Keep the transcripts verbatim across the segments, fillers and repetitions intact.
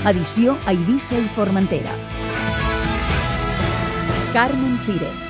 Edició a Eivissa i Formentera. Carmen Cires.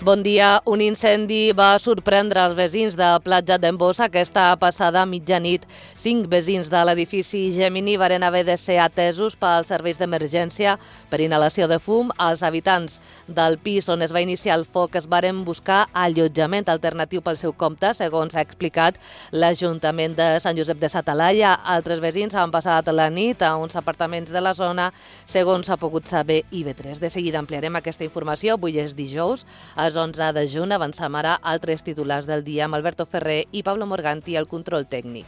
Bon dia. Un incendi va sorprendre els veïns de Platja d'en Bossa aquesta passada mitjanit. Cinc veïns de l'edifici Gemini varen haver de ser atesos pels serveis d'emergència per inhalació de fum. Els habitants del pis on es va iniciar el foc es varen buscar allotjament alternatiu pel seu compte, segons ha explicat l'Ajuntament de Sant Josep de sa Talaia. Altres veïns han passat la nit a uns apartaments de la zona, segons ha pogut saber I V tres. De seguida ampliarem aquesta informació. Avui és dijous, a onze de juny. Avancem ara altres titulars del dia amb Alberto Ferrer i Pablo Morganti al control tècnic.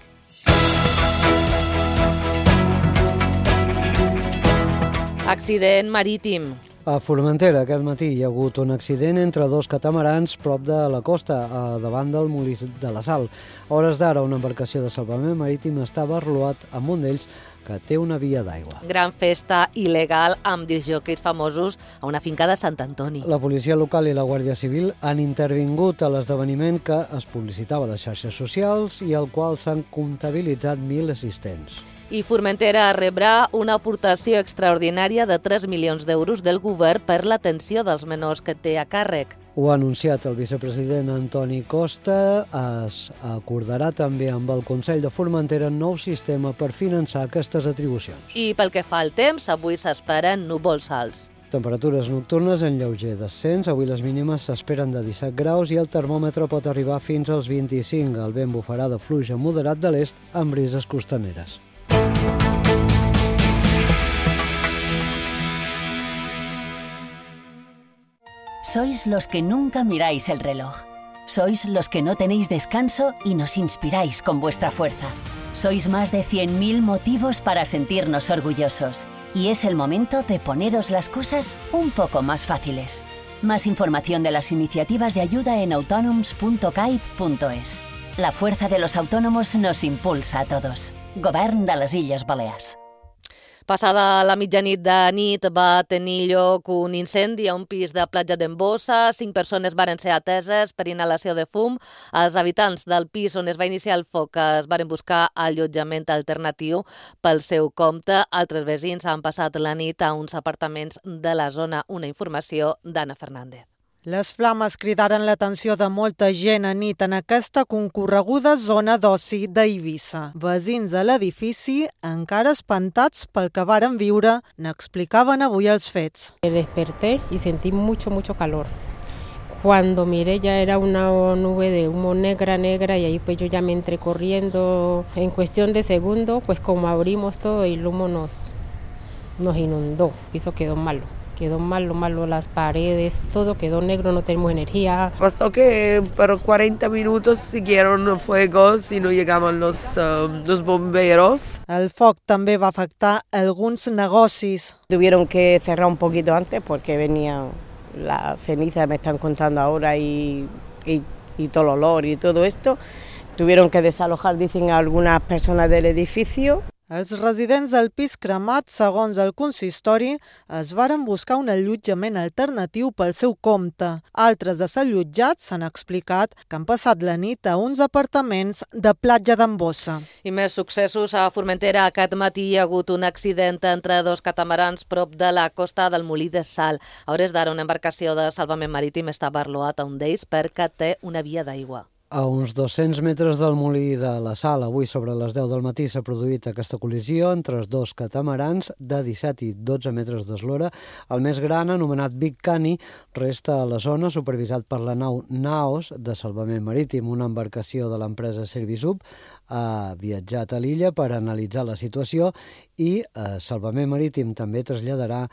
Accident marítim. A Formentera aquest matí hi ha hagut un accident entre dos catamarans prop de la costa, davant del molí de la Sal. A hores d'ara, una embarcació de salvament marítim estava arrolat amb un d'ells que té una via d'aigua. Gran festa il·legal amb discjòqueis famosos a una finca de Sant Antoni. La policia local i la Guàrdia Civil han intervingut a l'esdeveniment que es publicitava a les xarxes socials i al qual s'han comptabilitzat mil assistents. I Formentera rebrà una aportació extraordinària de tres milions d'euros del govern per l'atenció dels menors que té a càrrec. Ho ha anunciat el vicepresident Antoni Costa. Es acordarà també amb el Consell de Formentera un nou sistema per finançar aquestes atribucions. I pel que fa al temps, avui s'esperen núvols alts. Temperatures nocturnes en lleuger descens. Avui les mínimes s'esperen de disset graus i el termòmetre pot arribar fins als vint-i-cinc. El vent bufarà de fluix a moderat de l'est amb brises costaneres. Sois los que nunca miráis el reloj. Sois los que no tenéis descanso y nos inspiráis con vuestra fuerza. Sois más de cien mil motivos para sentirnos orgullosos. Y es el momento de poneros las cosas un poco más fáciles. Más información de las iniciativas de ayuda en autonoms punto caib punto es. La fuerza de los autónomos nos impulsa a todos. Govern de les Illes Balears. Passada la mitjanit de nit va tenir lloc un incendi a un pis de Platja d'en Bossa. Cinc persones varen ser ateses per inhalació de fum. Els habitants del pis on es va iniciar el foc es varen buscar allotjament alternatiu pel seu compte. Altres veïns han passat la nit a uns apartaments de la zona. Una informació d'Anna Fernández. Les flames cridaren l'atenció de molta gent a nit en aquesta concorreguda zona d'oci d'Eivissa. Veïns de l'edifici, encara espantats pel que varen viure, n'explicaven avui els fets. Me desperté y sentí mucho, mucho calor. Cuando miré ya era una nube de humo negra, negra, y ahí pues yo ya me entré corriendo. En cuestión de segundos, pues como abrimos todo, el humo nos, nos inundó. El piso quedó malo. Quedó malo, malo las paredes, todo quedó negro, no tenemos energía. Pasó que por cuarenta minutos siguieron fuegos y no llegaban los, um, los bomberos. El foc també va afectar alguns negocis. Tuvieron que cerrar un poquito antes porque venía la ceniza, me están contando ahora, y, y, y todo el olor y todo esto. Tuvieron que desalojar, dicen algunas personas del edificio. Els residents del pis cremat, segons el consistori, es varen buscar un allotjament alternatiu pel seu compte. Altres desallotjats s'han explicat que han passat la nit a uns apartaments de Platja d'en Bossa. I més successos a Formentera. Aquest matí hi ha hagut un accident entre dos catamarans prop de la costa del Molí de Sal. A hores d'ara, una embarcació de salvament marítim està barloat a un d'ells perquè té una via d'aigua. A uns dos-cents metres del molí de la Sal, avui sobre les deu del matí, s'ha produït aquesta col·lisió entre els dos catamarans de disset i dotze metres d'eslora. El més gran, anomenat Big Cani, resta a la zona, supervisat per la nau Naos de salvament marítim. Una embarcació de l'empresa Servisub ha viatjat a l'illa per analitzar la situació i eh, Salvament Marítim també traslladarà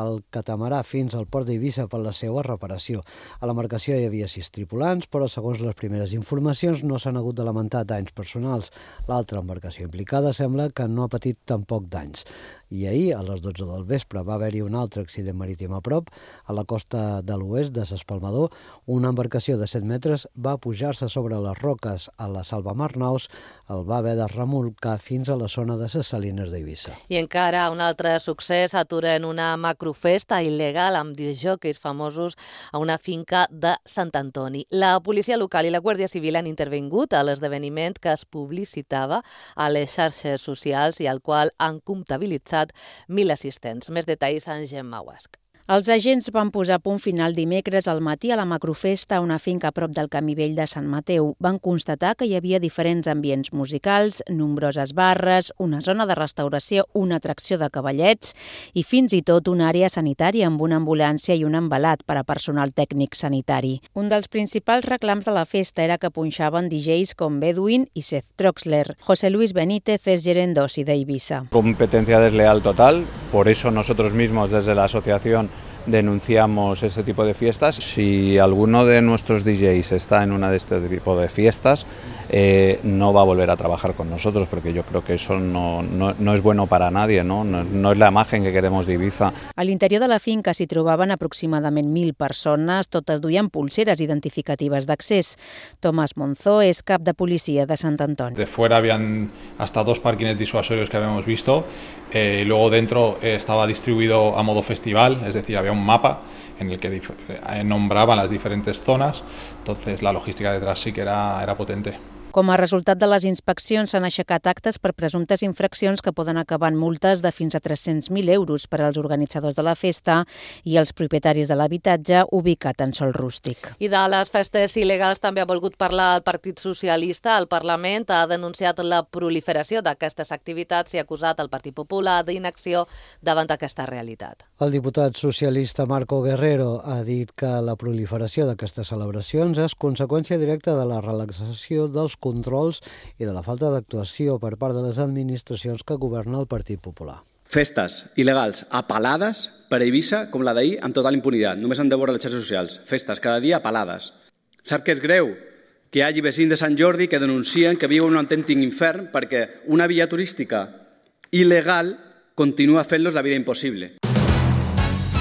el catamarà fins al port d'Eivissa per la seva reparació. A l'embarcació hi havia sis tripulants, però segons les primeres informacions no s'han hagut de lamentar danys personals. L'altra embarcació implicada sembla que no ha patit tampoc danys. I ahir, a les dotze del vespre, va haver-hi un altre accident marítim a prop, a la costa de l'oest de s'Espalmador. Una embarcació de set metres va pujar-se sobre les roques a la Salvamar Naus, el va haver de remolcar fins a la zona de les Salines d'Eivissa. I encara un altre succés, aturen una macrofesta il·legal amb discjòqueis famosos a una finca de Sant Antoni. La policia local i la Guàrdia Civil han intervingut a l'esdeveniment que es publicitava a les xarxes socials i al qual han comptabilitzat mil assistents. Més detalls en Gemma Guasc. Els agents van posar punt final dimecres al matí a la macrofesta a una finca a prop del Camí Vell de Sant Mateu. Van constatar que hi havia diferents ambients musicals, nombroses barres, una zona de restauració, una atracció de cavallets i fins i tot una àrea sanitària amb una ambulància i un embalat per a personal tècnic sanitari. Un dels principals reclams de la festa era que punxaven D Js com Bedouin i Seth Troxler. José Luis Benítez és gerent d'oci d'Eivissa. Competencia desleal total, por eso nosotros mismos desde la asociación denunciamos este tipo de fiestas. Si alguno de nuestros D Js está en una de este tipo de fiestas, eh, no va a volver a trabajar con nosotros, porque yo creo que eso no, no, no es bueno para nadie, ¿no? No, no es la imagen que queremos de Ibiza. A l'interior de la finca s'hi trobaven aproximadament mil persones, totes duien pulseres identificatives d'accés. Tomás Monzó és cap de policia de Sant Antoni. De fuera habían hasta dos parkings disuasorios que habíamos visto, eh, luego dentro eh, estaba distribuido a modo festival, es decir, había un mapa en el que eh, nombraban las diferentes zonas, entonces la logística detrás sí que era, era potente. Com a resultat de les inspeccions s'han aixecat actes per presumptes infraccions que poden acabar en multes de fins a tres-cents mil euros per als organitzadors de la festa i els propietaris de l'habitatge ubicat en sòl rústic. I de les festes il·legals també ha volgut parlar el Partit Socialista. El Parlament ha denunciat la proliferació d'aquestes activitats i ha acusat el Partit Popular d'inacció davant d'aquesta realitat. El diputat socialista Marco Guerrero ha dit que la proliferació d'aquestes celebracions és conseqüència directa de la relaxació dels controls i de la falta d'actuació per part de les administracions que governa el Partit Popular. Festes il·legals apalades per a Eivissa com la d'ahir amb total impunitat. Només han de veure les xarxes socials. Festes cada dia apalades. Sap què és greu? Que hi hagi vecins de Sant Jordi que denuncien que viuen un autèntic infern perquè una via turística il·legal continua fent-los la vida impossible.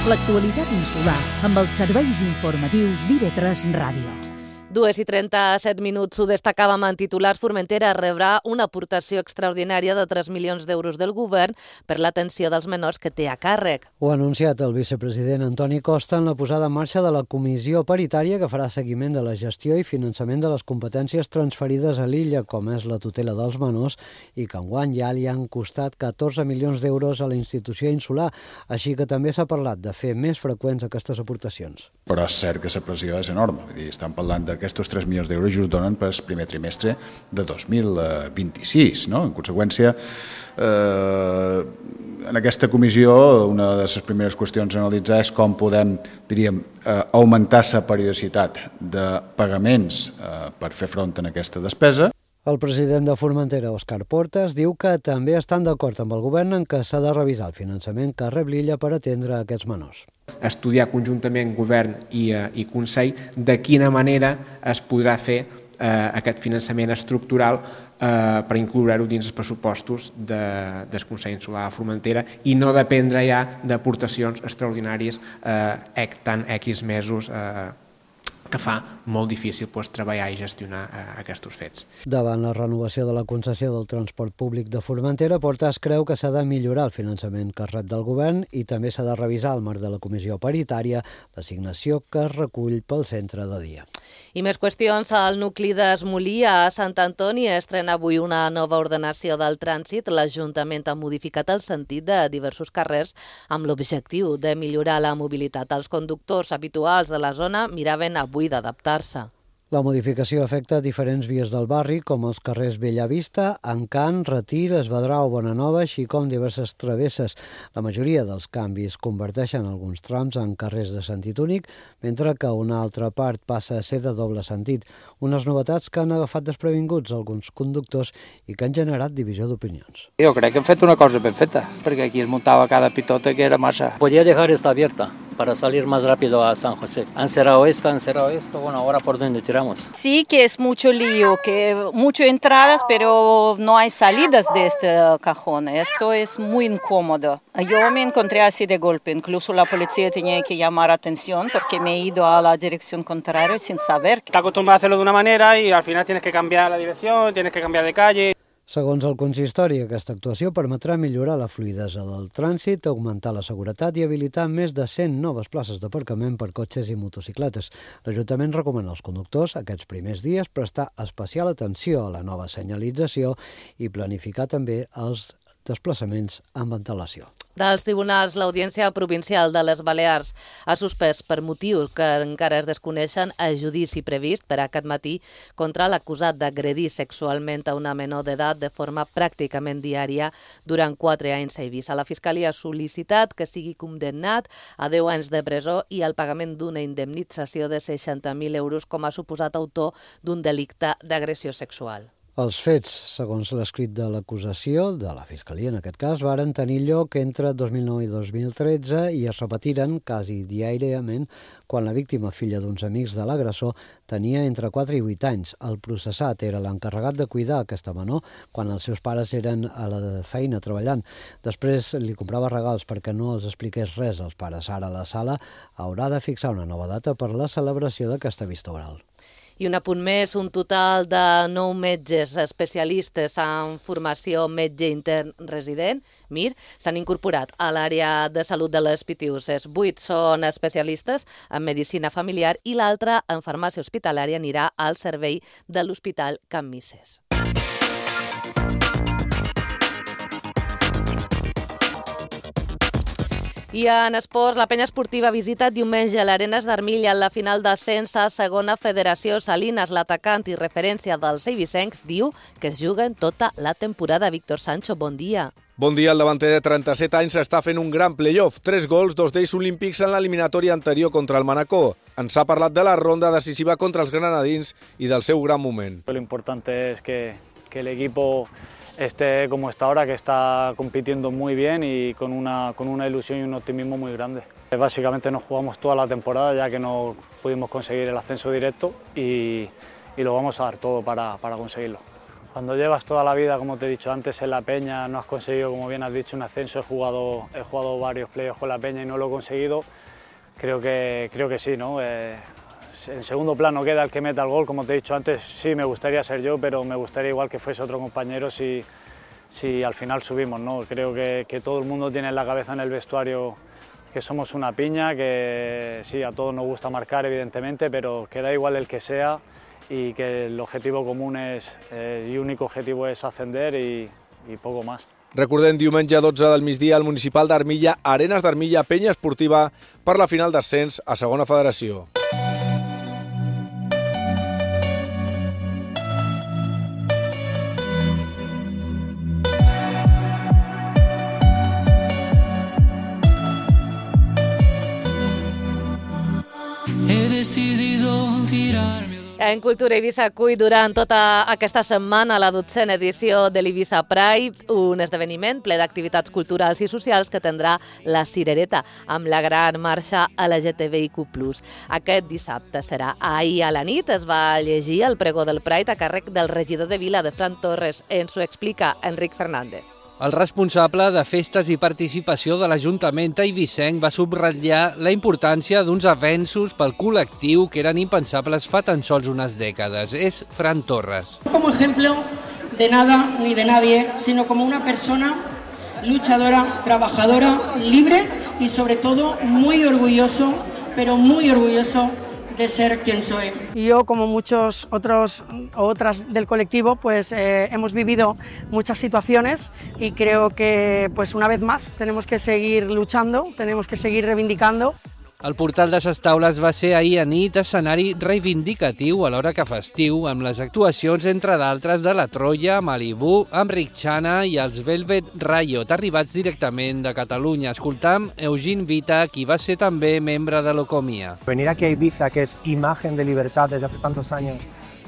L'actualitat insular amb els serveis informatius d'I V tres Ràdio. Dues i trenta-set minuts, ho destacàvem en titulars. Formentera rebrà una aportació extraordinària de tres milions d'euros del govern per l'atenció dels menors que té a càrrec. Ho ha anunciat el vicepresident Antoni Costa en la posada en marxa de la comissió paritària que farà seguiment de la gestió i finançament de les competències transferides a l'illa, com és la tutela dels menors, i que enguany ja li han costat catorze milions d'euros a la institució insular, així que també s'ha parlat de fer més freqüents aquestes aportacions. Però és cert que la pressió és enorme, vull dir, estem parlant de aquests tres milions d'euros just donen per al primer trimestre de dos mil vint-i-sis. No? En conseqüència, eh, en aquesta comissió una de les primeres qüestions a analitzar és com podem, diríem, eh, augmentar la periodicitat de pagaments eh, per fer front a aquesta despesa. El president de Formentera, Òscar Portas, diu que també estan d'acord amb el govern en que s'ha de revisar el finançament que rep l'illa per atendre aquests menors. Estudiar conjuntament govern i, eh, i Consell de quina manera es podrà fer eh, aquest finançament estructural eh, per incloure-ho dins els pressupostos de, del Consell Insular de Formentera i no dependre ja d'aportacions extraordinàries eh, tant X mesos eh, que fa molt difícil pues, treballar i gestionar eh, aquests fets. Davant la renovació de la concessió del transport públic de Formentera, Portas creu que s'ha de millorar el finançament que rep del govern i també s'ha de revisar al marc de la comissió paritària l'assignació que es recull pel centre de dia. I més qüestions. El nucli d'Esmolí a Sant Antoni estrena avui una nova ordenació del trànsit. L'Ajuntament ha modificat el sentit de diversos carrers amb l'objectiu de millorar la mobilitat. Els conductors habituals de la zona miraven avui d'adaptar-se. La modificació afecta diferents vies del barri, com els carrers Bellavista, Encant, Retir, Esvedrau, Bonanova, així com diverses travesses. La majoria dels canvis converteixen alguns trams en carrers de sentit únic, mentre que una altra part passa a ser de doble sentit. Unes novetats que han agafat desprevinguts alguns conductors i que han generat divisió d'opinions. Jo crec que hem fet una cosa ben feta, perquè aquí es muntava cada pitota que era massa. Podria dejar esta abierta. para salir más rápido a San José. Han cerrado esto, han cerrado esto, bueno, ahora por dónde tiramos. Sí, que es mucho lío, que muchas entradas, pero no hay salidas de este cajón. Esto es muy incómodo. Yo me encontré así de golpe, incluso la policía tenía que llamar atención porque me he ido a la dirección contraria sin saber. Está acostumbrado a hacerlo de una manera y al final tienes que cambiar la dirección, tienes que cambiar de calle. Segons el consistori, aquesta actuació permetrà millorar la fluïdesa del trànsit, augmentar la seguretat i habilitar més de cent noves places d'aparcament per cotxes i motocicletes. L'Ajuntament recomana als conductors aquests primers dies prestar especial atenció a la nova senyalització i planificar també els desplaçaments amb antelació. Dels tribunals, l'Audiència Provincial de les Balears ha suspès per motius que encara es desconeixen el judici previst per aquest matí contra l'acusat d'agredir sexualment a una menor d'edat de forma pràcticament diària durant quatre anys a Eivissa. La Fiscalia ha sol·licitat que sigui condemnat a deu anys de presó i al pagament d'una indemnització de seixanta mil euros com a suposat autor d'un delicte d'agressió sexual. Els fets, segons l'escrit de l'acusació, de la Fiscalia en aquest cas, varen tenir lloc entre dos mil nou i dos mil tretze i es repetiren quasi diàriament quan la víctima, filla d'uns amics de l'agressor, tenia entre quatre i vuit anys. El processat era l'encarregat de cuidar aquesta menor quan els seus pares eren a la feina treballant. Després li comprava regals perquè no els expliqués res als pares. Ara la sala haurà de fixar una nova data per la celebració d'aquesta vista oral. I un apunt més, un total de nou metges especialistes en formació metge intern resident, M I R, s'han incorporat a l'àrea de salut de les Pitiüses. Vuit són especialistes en medicina familiar i l'altre en farmàcia hospitalària anirà al servei de l'Hospital Can Misses. I en esports, la penya esportiva visita diumenge a l'Arenas d'Armilla en la final d'ascens a segona federació. Salinas, l'atacant i referència dels eivissencs, diu que es juguen tota la temporada. Víctor Sancho, bon dia. Bon dia, el davanter de trenta-set anys està fent un gran playoff. Tres gols, dos d'ells olímpics en l'eliminatòria anterior contra el Manacor. Ens ha parlat de la ronda decisiva contra els granadins i del seu gran moment. Lo importante es que, que el equipo esté como está ahora, que está compitiendo muy bien y con una, con una ilusión y un optimismo muy grande. Básicamente nos jugamos toda la temporada ya que no pudimos conseguir el ascenso directo y, y lo vamos a dar todo para, para conseguirlo. Cuando llevas toda la vida, como te he dicho antes, en la Peña, no has conseguido, como bien has dicho, un ascenso, he jugado, he jugado varios playoffs con la Peña y no lo he conseguido, creo que, creo que sí, ¿no? Eh, en segundo plano queda el que meta el gol, como te he dicho antes, sí me gustaría ser yo, pero me gustaría igual que fuese otro compañero si, si al final subimos, ¿no? Creo que, que todo el mundo tiene en la cabeza en el vestuario que somos una piña, que sí, a todos nos gusta marcar evidentemente, pero que da igual el que sea y que el objetivo común es, eh, y único objetivo es ascender y, y poco más. Recordem, diumenge dotze del migdia al municipal d'Armilla, Arenas d'Armilla, penya esportiva per la final d'ascens a segona federació. En Cultura Eivissa acull durant tota aquesta setmana la dotzena edició de l'Eivissa Pride, un esdeveniment ple d'activitats culturals i socials que tindrà la Cirereta, amb la gran marxa L G T B I Q plus. Aquest dissabte serà. Ahir a la nit es va llegir el pregó del Pride a càrrec del regidor de Vila, de Fran Torres. Ens ho explica Enric Fernández. El responsable de festes i participació de l'Ajuntament eivissenc va subratllar la importància d'uns avenços pel col·lectiu que eren impensables fa tan sols unes dècades. És Fran Torres. Como ejemplo de nada ni de nadie, sino como una persona luchadora, trabajadora, libre y sobre todo muy orgulloso, pero muy orgulloso de ser quien soy. Yo, como muchos otros o otras del colectivo, pues eh, hemos vivido muchas situaciones y creo que, pues una vez más, tenemos que seguir luchando, tenemos que seguir reivindicando. El portal de ses Taules va ser ahir a nit escenari reivindicatiu alhora que festiu, amb les actuacions, entre d'altres, de la Troia, Malibu, amb Ricciana i els Velvet Riot, arribats directament de Catalunya. Escoltam Eugene Vita, qui va ser també membre de l'Ocomia. Venir aquí a Ibiza, que es imagen de libertad desde hace tantos años,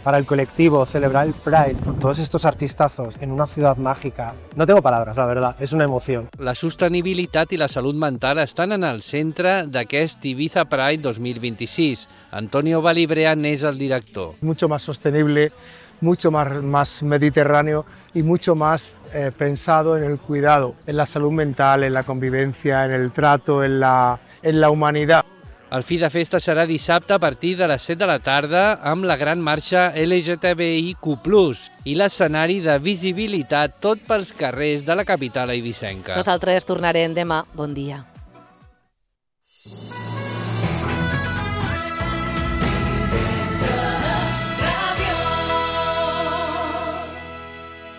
para el colectivo, celebrar el Pride con todos estos artistazos en una ciudad mágica. No tengo palabras, la verdad, es una emoción. La sostenibilitat i la salut mental estan en el centre d'aquest Ibiza Pride dos mil vint-i-sis. Antonio Valibrean és el director. Mucho más sostenible, mucho más, más mediterráneo y mucho más eh, pensado en el cuidado, en la salud mental, en la convivencia, en el trato, en la, en la humanidad. El fi de festa serà dissabte a partir de les set de la tarda amb la gran marxa L G T B I Q plus, i l'escenari de visibilitat tot pels carrers de la capital eivissenca. Nosaltres tornarem demà. Bon dia.